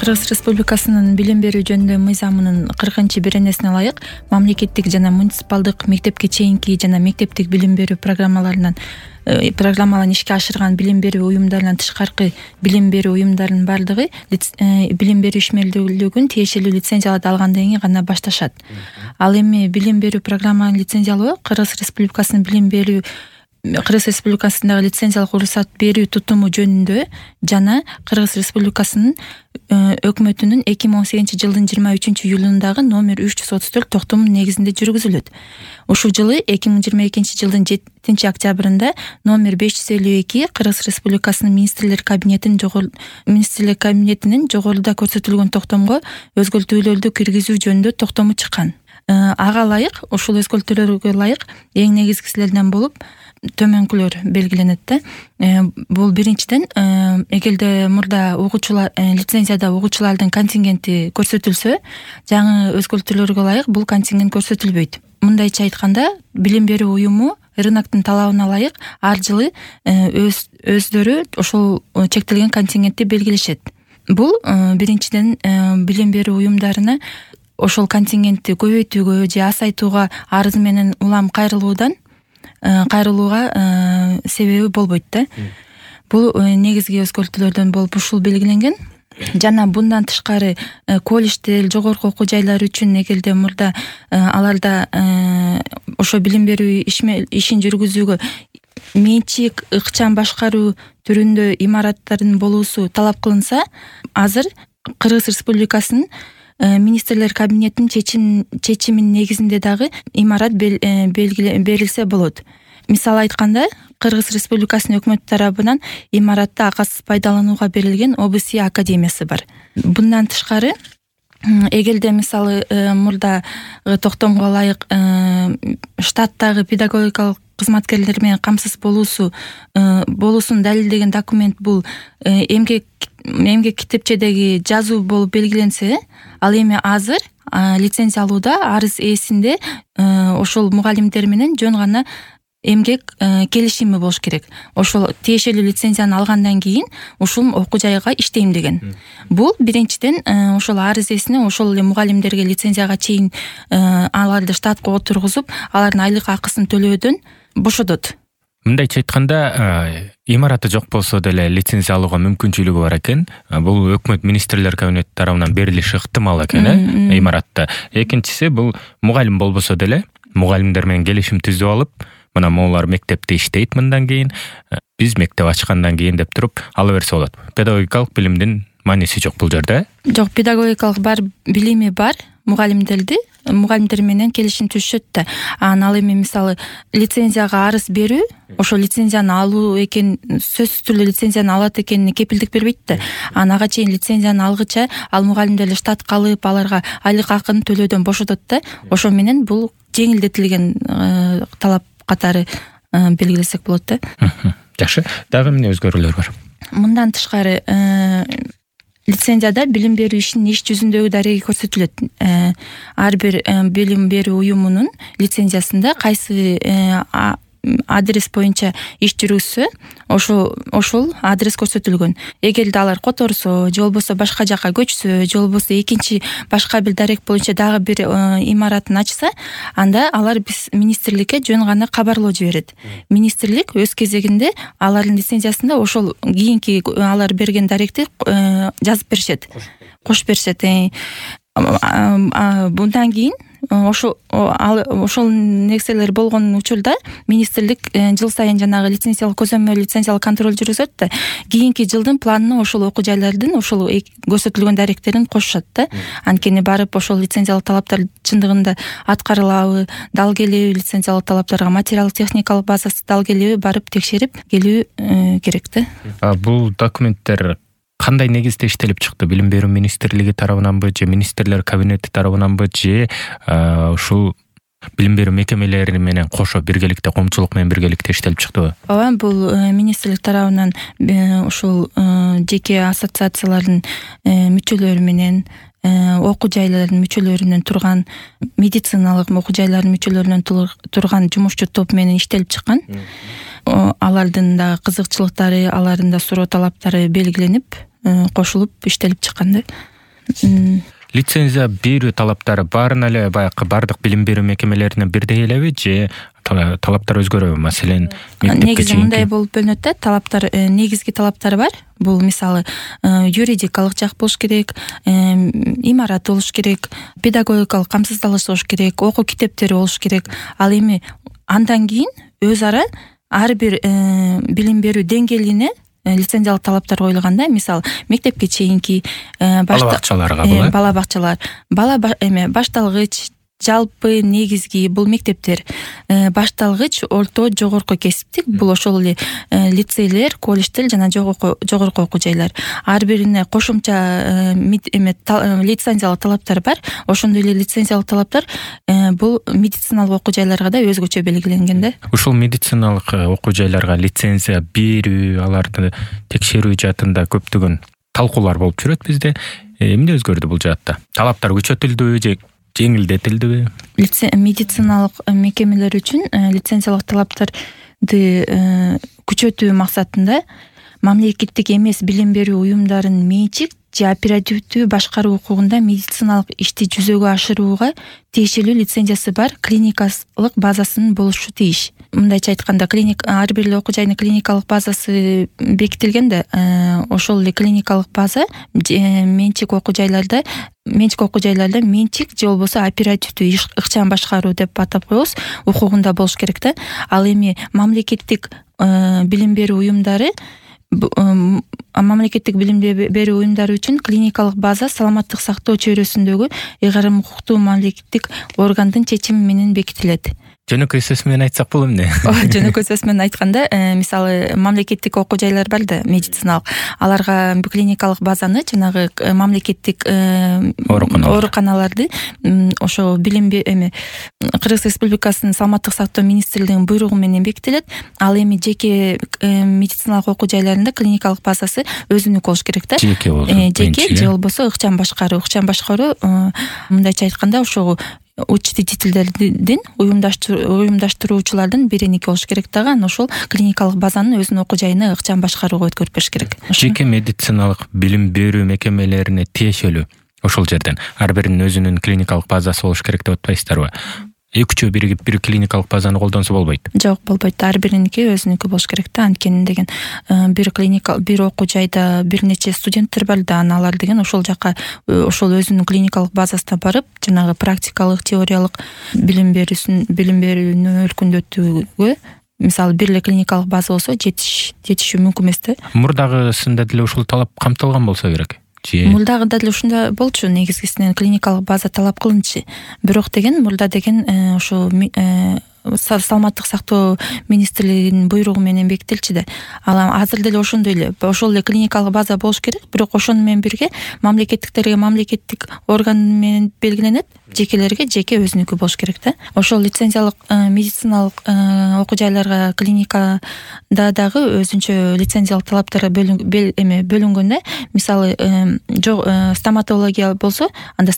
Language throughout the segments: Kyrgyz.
Кыргыз Республикасынын билим берүү жөнүндө мыйзамынын 40-беренесине ылайык мамлекеттик жана муниципалдык мектепке чейинки жана мектептик билим берүү программаларын ишке ашырган билим берүү уюмдарынан тышкаркы билим берүү уюмдарынын баардыгы билим берүү ишмердүүлүгүн тиешелүү лицензияларды алгандан кийин гана башташат. Ал эми билим берүү программаны лицензиялоо Кыргыз Республикасындагы лицензиялык уруксат берүү тутуму жөнүндө жана Кыргыз Республикасынын өкмөтүнүн 2018-жылдын 23-июлундагы номер 334 токтомунун негизинде жүргүзүлөт. Ушул жылы 2022-жылдын 7-октябрында номер 552 Кыргыз Республикасынын Министрлер кабинетинин жогоруда көрсөтүлгөн токтомго өзгөртүүлөрдү киргизүү жөнүндө токтому чыккан. Ага ылайык, ушул өзгөртүүлөргө ылайык эң негизгилеринен болуп төмөнкүлөр белгиленет да. Бул биринчиден, эгерде мурда лицензияда угуучулардын контингенти көрсөтүлсө, жаңы өзгөртүүлөргө ылайык бул контингент көрсөтүлбөйт. Мындайча айтканда, билим берүү уюму рыноктун талабына ылайык ар жылы өздөрү ошол чектелген контингентти белгилешет. Бул биринчиден билим берүү уюмдарына ошол контингентти көбөйтүүгө же азайтууга арыз менен улам кайрылууга себеби болбойт да. Бул негизги өзгөртүүлөрдөн болуп ушул белгиленген. Жана bundan тышкары колледждер, жогорку окуу жайлар үчүн эгерде мурда аларда ошо билим берүү ишин жүргүзүүгө менчик, ыкчам башкаруу түрүндө имараттардын болуусу талап кылынса, азыр Кыргыз Республикасынын Министрлер кабинетинин чечиминин негизинде дагы имарат берилсе болот. Мисалы айтканда, Кыргыз Республикасынын өкмөтү тарабынан имаратты акысыз пайдаланууга берилген ОБСИ академиясы бар. Bundan тышкары, эгерде мисалы мурда токтомго ылайык штаттагы педагогикалык кызматкерлер менен камсыз болуусун далилдеген документ бул эмгек китепчедеги жазуу болуп белгиленсе, ал эми азыр лицензия алууда арыз ээсинде ошол мугалимдер менен жөн гана эмгек келишими болуш керек. Ошол тиешелүү лицензияны алгандан кийин ушул окуу жайга иштейм деген. Бул биринчиден ошол арыз ээсине ошол эле мугалимдерге лицензияга чейин аларды штатка отургузуп, алардын айлык акысын төлөөдөн бошотот. Мындайча айтканда, имараты жок болсо деле лицензия алууга мүмкүнчүлүгү бар экен. Бул өкмөт министрлер кабинети тарабынан берилиши ыктымал экен, имаратта. Экинчиси, бул мугалим болбосо деле мугалимдер менен келишим түзүп алып, мына могулар мектепте иштейт мындан кийин, биз мектеп ачкандан кийин деп туруп ала берсе болот. Педагогикалык билимдин мааниси жок бул жерде. Жок, педагогикалык билими бар мугалимдер менен келишим түзүшөт да. Ал эми мисалы лицензияга арыз берүү, ошол лицензияны алуу экен, сөзсүз түрдө лицензияны алат экенине кепилдик бербейт да. Ага чейин лицензияны алгыча ал мугалимдер штатка алып, аларга айлык акыны төлөөдөн бошотот да. Ошо менен бул жеңилдетилген талап катары белгилесек болот да. Жакшы. Дагы эмне өзгөрүүлөр бар? Мындан тышкары лицензияда билим берүү ишинин иш жүзүндөгү дареги көрсөтүлөт. Ар бир билим берүү уюмунун лицензиясында кайсы адрес боюнча иш жүргүзсө, ошол адрес көрсөтүлгөн. Эгерде алар которсо, же болбосо башка жакка көчсө, же болбосо экинчи башка бир дарек боюнча дагы бир имаратын ачса, анда алар биз министрликке жөн гана кабарлоо жиберет. Министрлик өз кезегинде алардын лицензиясында ошол кийинки алар берген даректи жазып беришет, кошуп беришет. Bundan кийин ошол нерселер болгон учурда министрлик жыл сайын жанагы лицензиялык көзөмөл, лицензиялык контроль жүргүзөт да. Кийинки жылдын планына ошол окуу жайлардын ошол көрсөтүлгөн даректерин кошушат да. Анткени барып ошол лицензиялык талаптар чындыгында аткарылабы, дал келеби лицензиялык талаптарга, материалдык техникалык базасы дал келеби барып текшерип келүү керек да. Бул документтер кандай негизде иштелип чыкты? Билим берүү министрлиги тарабынанбы, же министрлер кабинети тарабынанбы, же ушул билим берүү мекемелери менен кошо биргеликте, коомчулук менен биргеликте иштелип чыктыбы? Ооба, бул министрлик тарабынан ушул жеке ассоциациялардын мүчөлөрү менен, окуу жайлардын мүчөлөрүнөн турган, медициналык окуу жайлардын мүчөлөрүнөн турган жумушчу топ менен иштелип чыккан. Алардын да кызыкчылыктары, алардын да суроо талаптары белгиленип, кошулуп иштелип чыккан да. Лицензия берүү талаптары баарын эле баягы бардык билим берүү мекемелеринен бирдей элеби же талаптар өзгөрөбү? Маселен, негизи мындай болуп бөлүнөт да, талаптар, негизги талаптары бар. Бул мисалы юридикалык жак болуш керек, имарат болуш керек, педагогикалык камсыздалыш болуш керек, окуу китептери болуш керек. Ал эми андан кийин өз ара ар бир билим берүү деңгээлине лицензиялык талаптар коюлган да. Мисалы мектепке чейинки бала бакчалар, башталгыч, жалпы негизги бул мектептер, башталгыч, орто, жогорку кесиптик, бул ошол эле лицейлер, колледждер жана жогорку окуу жайлар. Ар бирине кошумча лицензиялык талаптар бар. Ошондой эле лицензиялык талаптар бул медициналык окуу жайларга да өзгөчө белгиленген да. Ушул медициналык окуу жайларга лицензия берүү, аларды текшерүү жаатында көптөгөн талкуулар болуп жүрөт бизде. Эмне өзгөрдү бул жаатта? Талаптар күчөтүлдүбү же жеңилдетилдиби? Медициналык мекемелер үчүн лицензиялык талаптарды күчөтүү максатында мамлекеттик эмес билим берүү уюмдарынын менчик же оперативдүү башкаруу укугунда медициналык ишти жүзөгө ашырууга тиешелүү лицензиясы бар клиникалык базасынын болушу тийиш. Мындайча айтканда, ар бир окуу жайдын клиникалык базасы бекитилген да, ошол эле клиникалык база менчик окуу жайларда менчик же болбосо оперативдүү ыкчам башкаруу деп атап коебуз, укугунда болуш керек да. Ал эми мамлекеттик билим берүү уюмдары үчүн клиникалык база саламаттык сактоо чөйрөсүндөгү ыйгарым укуктуу мамлекеттик органдын чечими менен бекитилет. Жөнөкөй сөз менен айтсак болот эмне? Жөнөкөй сөз менен айтканда, мисалы мамлекеттик окуу жайлар бар да, медициналык. Аларга клиникалык базаны жанагы мамлекеттик ооруканаларды ошо билим Кыргыз Республикасынын саламаттык сактоо министрлигинин буйругу менен бекитилет. Ал эми жеке медициналык окуу жайларында клиникалык базасы өзүнүкү болуш керек да. Жеке же болбосо ыкчам башкаруу, мындайча айтканда ошо учредительдердин уюмдаштыруучулардын бириники болуш керек дагы. Анан ошол клиникалык базанын өзүнүн окуу жайына ыкчам башкарууга өткөрүп бериш керек. Жеке медициналык билим берүү мекемелерине тиешелүү ошол жерден ар биринин өзүнүн клиникалык базасы болуш керек деп атпайсыздарбы? Эки-үчөө биригип бир клиникалык базаны колдонсо болбойт? Жок, болбойт. Ар бириники өзүнүкү болуш керек да. Анткени деген бир окуу жайда бир нече студенттер бар да, аналар деген ошол жака ошол өзүнүн клиникалык базасына барып, жанагы практикалык, теориялык билим берүүнү өркүндөтүүгө, мисалы бир эле клиникалык база болсо жетишүү мүмкүн эмес да. Мурдагысында деле ушул талап камтылган болсо керек. Мурдагыда деле ушунда болчу, негизгисинен клиникалык база талап кылынчу. Бирок мурда ошо саламаттык сактоо министрлигинин буйругу менен бекитилчү да. Ал азыр деле ошондой эле, ошол эле клиникалык база болуш керек, бирок ошону менен бирге мамлекеттиктерге мамлекеттик орган менен белгиленет, жекелерге жеке өзүнүкү болуш керек да. Ошол лицензиялык медициналык окуу жайларга, клиникада дагы өзүнчө лицензиялык талаптар бөлүнгөн да. Мисалы стоматология болсо, анда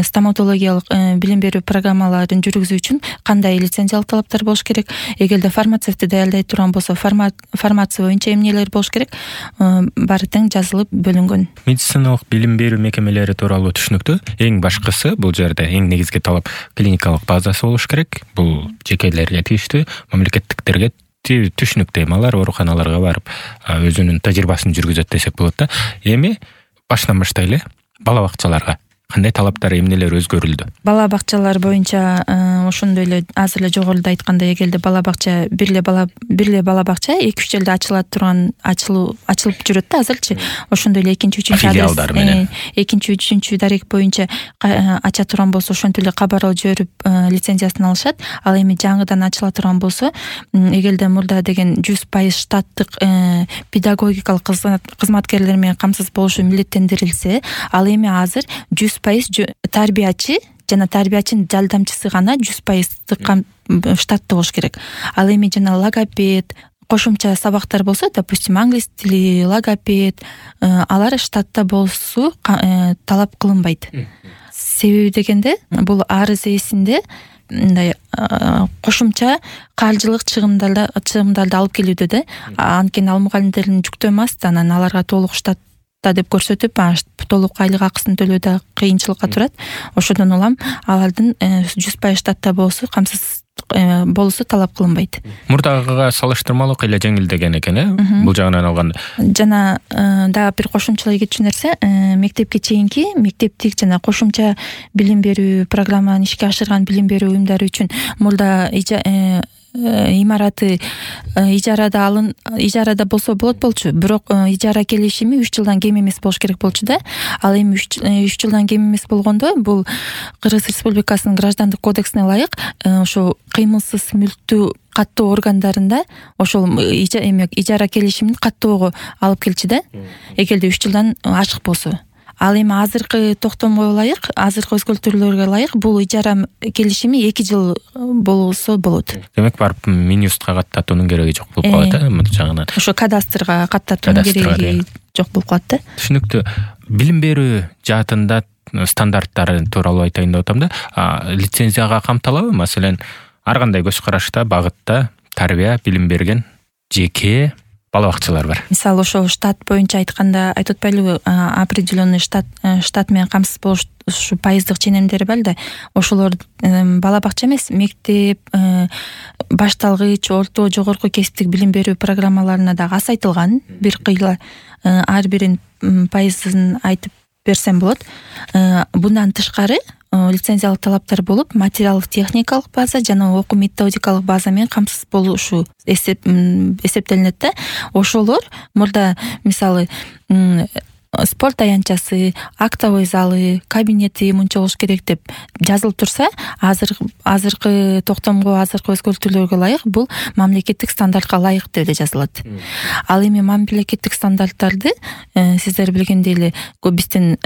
стоматологиялык билим берүү программаларын жүргүзүү үчүн кандай лицензиялык талаптар болуш керек. Эгерде фармацевти даярдай турган болсо, фармация боюнча эмнелер болуш керек, баары тең жазылып бөлүнгөн. Медициналык билим берүү мекемелери тууралуу түшүнүктүү. Эң башкысы бул жерде эң негизги талап клиникалык базасы болуш керек. Бул жекелерге тийиштүү, мамлекеттиктерге түшүнүктүү. Алар ооруканаларга барып өзүнүн тажрыйбасын жүргүзөт десек болот да. Эми башынан баштайлы, бала бакчаларга кандай талаптар, эмнелер өзгөрүлдү? Бала бакчалар боюнча ошондой эле азыр эле жогоруда айткандай, эгерде бала бакча бир эле бала бакча 2-3 жылда ачылып жүрөт да азырчы. Ошондой эле экинчи, үчүнчү дарек боюнча ача турган болсо ошентип эле кабар жиберип лицензиясын алышат. Ал эми жаңыдан ачыла турган болсо, эгерде мурда деген 100% штаттык педагогикалык кызматкерлер менен камсыз болушу милдеттендирилсе, ал эми азыр 100% тарбиячы жана тарбиячынын жардамчысы гана 100% штатты болуш керек. Ал эми жана логопед, кошумча сабактар болсо, допустим, англис тили, логопед, алар штатта болсу талап кылынбайт. Себеби дегенде, бул арыз ээсинде мындай кошумча каржылык чыгымдарды алып келүүдө да. Анткени ал мугалимдердин жүктөмө аст, анан аларга толук штат да деп көрсөтүп, толук айлык акысын төлөөдө кыйынчылыкка турат. Ошодон улам алардын 100% штатта болуусу талап кылынбайт. Мурдагыга салыштырмалуу кыйла жеңилдеген экен, бул жагынан алганда. Жана дагы бир кошумчалай кетчү нерсе, мектепке чейинки мектептик жана кошумча билим берүү программаны ишке ашырган билим берүү уюмдары үчүн мурда имараты ижарада болсо болчу, бирок ижара келишими 3 жылдан кем эмес болуш керек болчу да. Ал эми 3 жылдан кем эмес болгондо бул Кыргыз Республикасынын граждандык кодексине ылайык ошо кыймылсыз мүлктүү каттоо органдарында ошол ижара келишимин каттоого алып келчү да, эгерде 3 жылдан ашык болсо. Ал эми азыркы токтомго ылайык, азыркы өзгөртүүлөргө ылайык бул ижара келишими 2 жыл болсо болот. Демек барып Минюстка каттатуунун кереги жок болуп калат, мына жагынан. Ошо кадастрга каттатуунун кереги жок болуп калат да. Түшүнүктүү. Билим берүү жаатында стандарттары тууралуу айтайын деп атам да. Лицензияга камтылабы? Маселен, ар кандай көз карашта, багытта тарбия, билим берген жеке бала бакчалар бар. Мисалы ошо штат боюнча айтканда айтып атпайлыбы, определенный штат менен камсыз болуш ушу пайыздык ченемдери бар да, ошолор бала бакча эмес, мектеп, башталгыч, орто, жогорку кесиптик билим берүү программаларына дагы азайтылган. Бир кыйла ар бирин пайызын айтып берсем болот. Bundan тышкары лицензиялык талаптар болуп, материалдык техникалык база жана окуу методикалык база менен камсыз болушу эсептелинет да. Ошолор мурда мисалы спорт аянтчасы, актовый залы, кабинети мынча болуш керек деп жазылып турса, азыркы токтомго, азыркы өзгөртүүлөргө ылайык бул мамлекеттик стандартка ылайык деп эле жазылат. Ал эми мамлекеттик стандарттарды сиздер билгендей эле биздин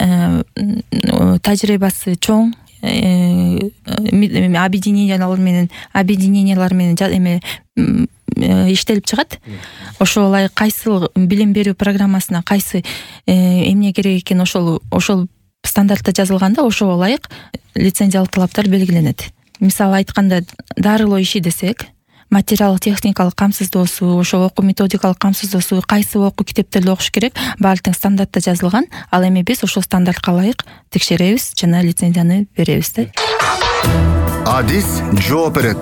тажрыйбасы чоң объединениялар менен иштелип чыгат. Ошол ылайык кайсы билим берүү программасына кайсы эмне керек экен ошол стандартта жазылганда ошого ылайык лицензиялык талаптар белгиленет. Мисалы айтканда, дарылоо иши десек, материалдык техникалык камсыздоосу, ошо окуу методикалык камсыздоосу, кайсы окуу китептерди окуш керек, баардык стандартта жазылган. Ал эми биз ошол стандартка ылайык текшеребиз жана лицензияны беребиз да. Адис жооп берет.